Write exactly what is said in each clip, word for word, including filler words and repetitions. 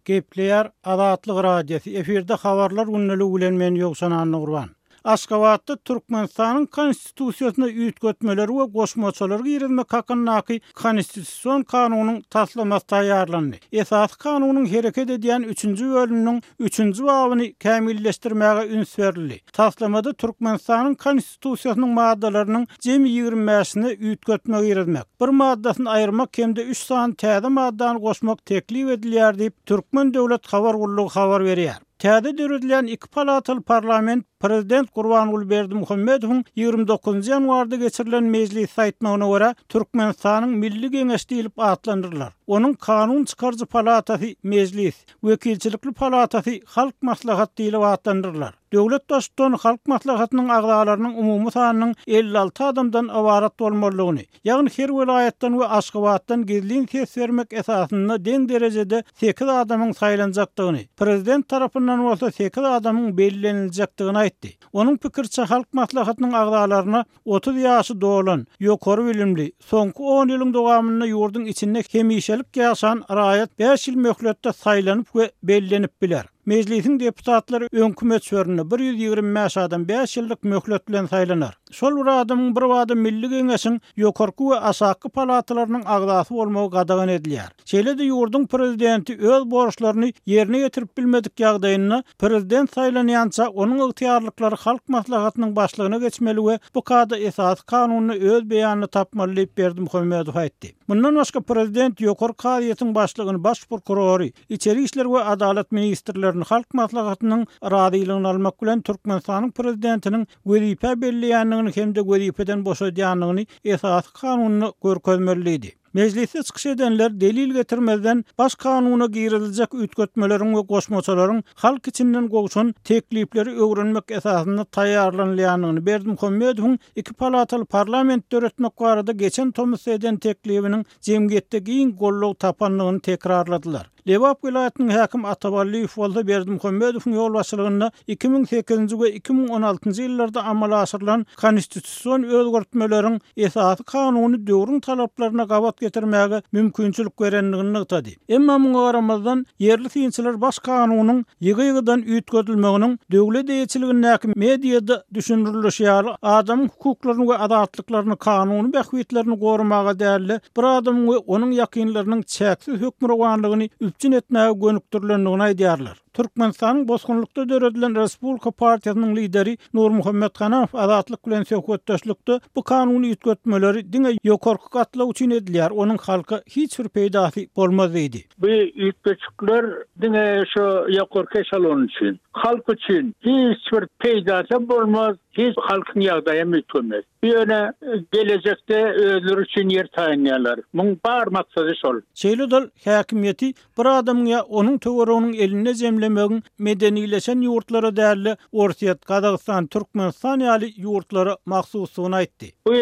Gepleýär Azatlyk Radiosy. Efirde habarlar gündeligi bilen men Ýowşan Annagurban. Aşgabatda Türkmenistanyň Konstitusiýasyna üýtgetmeleri we goşmaçalary girizmek hakyndaky Konstitusion kanunyň taslamasy taýýarlandy. Esasy kanunyň hereket edýän üçünji bölüminiň üçünji babyny kämilleşdirmäge üns berildi. Taslamada Türkmenistanyň Konstitusiýasynyň maddalarynyň jemi ýigrimi bäşine üýtgetme girizmek, bir maddasyny aýyrmak hem-de üç sany täze maddany goşmak teklip edilýär diýip, Türkmen döwlet habar gullugy habar berýär. Täze döredilen iki palataly parlament Prezident Gurbanguly Berdimuhamedowyň ýigrimi dokuzynjy ýanwarda geçirilen mejlisde aýtmagyna görä, Türkmenistanyň Milli Geňeşi diýlip atlandyrylar. Onuň kanun çykaryjy palatasy Mejlis, wekilçilikli palatasy Halk Maslahat diýlip atlandyrylar. Döwlet baştutany Halk Maslahatynyň agzalarynyň umumy sanynyň elli alty adamdan ybarat bolmalydygyny, ýagny her welaýatdan we Aşgabatdan gizlin ses bermek esasynda deň derejede sekiz adamyň saýlanjakdygyny, prezident tarapyndan bolsa sekiz adamyň belleniljekdigini aýtdy. Onuň pikiriçe Halk Maslahatynyň agzalaryna otuz ýaşy dolan, ýokary bilimli, soňky on ýylyň dowamynda ýurduň içinde hemişelik ýaşan raýat bäş ýyl möhletde saýlanyp we bellenip biler. Mejlisiň deputatlary öňki möçberinde bir ýüz ýigrimi bäş adam bäş ýyllyk möhlet bilen saýlanar. Şol bir adamyň bir bada Milli Geňeşiň ýokarky we aşaky palatalarynyň agzasy bolmagy gadagan edilýär. Şeýle-de ýurduň prezidenti öz borçlaryny ýerine ýetirip bilmedik ýagdaýynda prezident saýlanýança onuň ygtyýarlyklary Halk Maslahatynyň başlygyna geçmeli we bu kada esasy kanunda öz beýanyny tapmaly diýip Berdimuhamedow aýtdy. Mundan başga prezident ýokary kazyýetiň başlygyny, baş prokurory, içeri işler we adalat ministrlerini Halk Maslahatynyň razylygyny almak bilen Türkmenistanyň prezidentiniň wezipe belleýändigini hem-de wezipeden boşadýandygyny esasy kanunda görkezmeli diýdi. Mejlisde çykyş edenler delil getirmezden baş kanuna giriziljek üýtgetmeleriň we goşmaçalaryň halk içinden gowşan teklipleri öwrenmek esasynda taýýarlanylýandygyny, Berdimuhamedowyň iki palataly parlament döretmek barada geçen tomusda eden teklibiniň jemgyýetde giň goldaw tapandygyny tekrarladylar. Lebap welaýatynyň häkimi Ataballyýew bolsa Berdimuhamedowyň ýolbaşçylygynda iki müň sekizinji we iki müň on altynjy ýyllarda amala aşyrylan konstitusion özgertmeleriň esasy kanuny döwrüň talaplaryna gabat getirmäge mümkinçilik berendigini nygtady. Emma muňa garamazdan ýerli synçylar baş kanunyň ýygy-ýygydan üýtgedilmeginiň döwlet eýeçiligindäki mediada düşündirilişi ýaly adamyň hukuklaryny we azatlyklaryny kanuny bähbitlerini goramaga däl-de, bir adamyň we onuň ýakynlarynyň çäksiz hökmürowanlygyny üpjün etmäge gönükdirilendigini aýdýarlar. Türkmenistanyň bosgunlykda döredilen Respublika partiýasynyň lideri Nurmuhammet Hanamow Azatlyk bilen söhbetdeşlikde bu kanuny üýtgetmeleri diňe ýokarky gatlak üçin edilýär, onuň halka hiç bir peýdasy bolmaz diýdi. Bu üýtgetmeler diňe şu ýokarky eşelon üçin, halk üçin hiç bir peýdasy bolmaz, hiç halkyň ýagdaýy üýtgemez. Ýöne gelejekde özleri üçin ýer taýynlaýarlar. Muň bar maksady şol. Şeýle-de häkimiýeti bir adamyň ýa onuň töwereginiň elinde jemlemegiň medenileşen ýurtlara däl-de Orsýet, Gazagystan, Türkmenistan ýaly ýurtlara mahsusdygyny aýtdy. Bu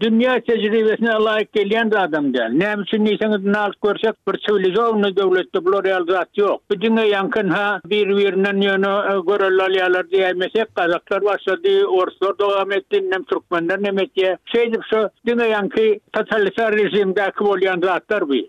dünýä tejribesine laýyk gelýän adam däl. Näme üçin diýseňiz, nalt görsek bir siwilizowny döwletde bular ýaly zat ýok. Bu diňe ýaňkyn ha bir-birinden ýöne görel alýarlar diýmesek, Gazaklar başlady, Orslar dowam etdi, indem Türkmenler näme etýär? Şeýdip şu diňe ýaňky totalitar rejimdäki bolýan zatlar bu.